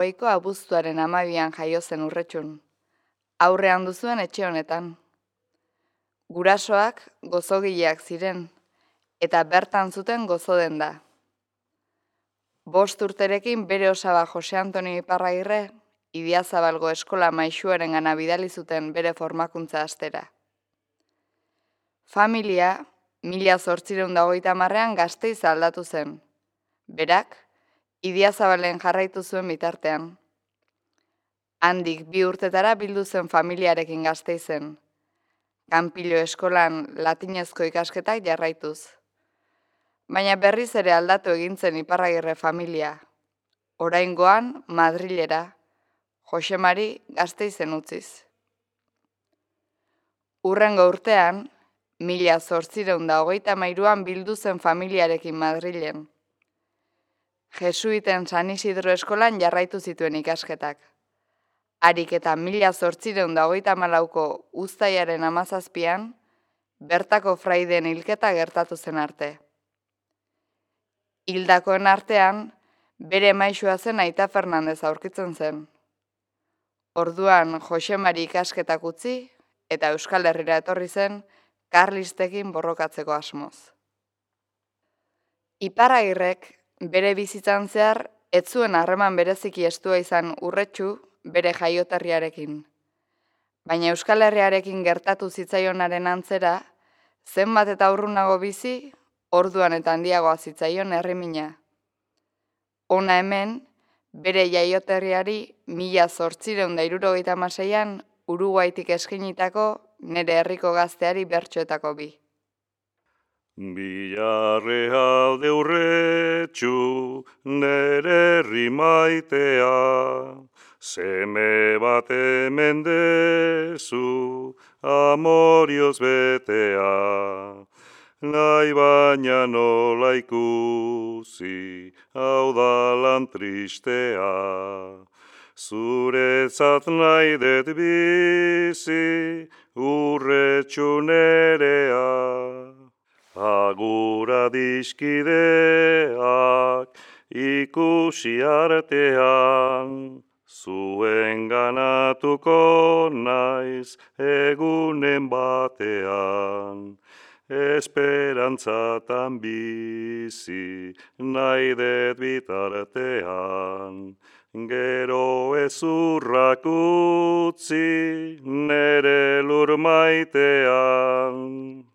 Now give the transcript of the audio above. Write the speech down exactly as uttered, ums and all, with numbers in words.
Hogeiko abuztuaren hamabian jaio zen Urretxun. Aurrean duzuen etxe honetan. Gurasoak gozogileak ziren, eta bertan zuten gozo denda. Bost urterekin bere osaba Jose Antonio Iparragirre, Idiazabalgo eskola maisuaren gana bidali zuten bere formakuntza astera. Familia, mila zortzireun da hogeita hamarrean Gasteiz aldatu zen. Berak, Idiazabalen jarraitu zuen bitartean. Handik bi urtetara bildu zen familiarekin Gasteizen. Kanpilo eskolan latinezko ikasketak jarraituz. Baina berriz ere aldatu egin zen Iparragirre familia. Oraingoan Madrilera, Josemari Gasteizen utziz. Hurrengo urtean, mila zortzireun da hogeita hamairuan bildu zen familiarekin Madrilen. Jesuiten San Isidro eskolan jarraitu zituen ikasketak. Harik eta mila zortzireun da hogeita hamalauko uztailaren hamazazpian, bertako fraideen hilketa gertatu zen arte. Hildakoen artean, bere maisua zen Aita Fernandez aurkitzen zen. Orduan Josemari ikasketak utzi eta Euskal Herrira etorri zen karlistekin borrokatzeko asmoz. Iparragirrek bere bizitzan zehar ez zuen harreman bereziki estua izan Urretxu bere jaioterriarekin. Baina Euskal Herriarekin gertatu zitzaionaren antzera, zenbat eta urrunago bizi, orduan eta handiagoa zitzaion herrimina. Hona hemen, bere jaioterriari mila zortzireun da hirurogeita hamaseian Uruguaitik eskinitako nere herriko gazteari bertsoetako bi. Bilarrealde Urretxu, nere herri maitea, seme bat hemen dezu, amorioz betea. Nahi baina nola ikusi, hau da lan tristea. Zuretzat nahi det bizi, Urretxu nerea. Agura dizkideak ikusi artean, zuen ganatuko naiz egunen batean. Esperantzatan bizi nahi det bitartean, gero ezurrak utzi nere lur maitean.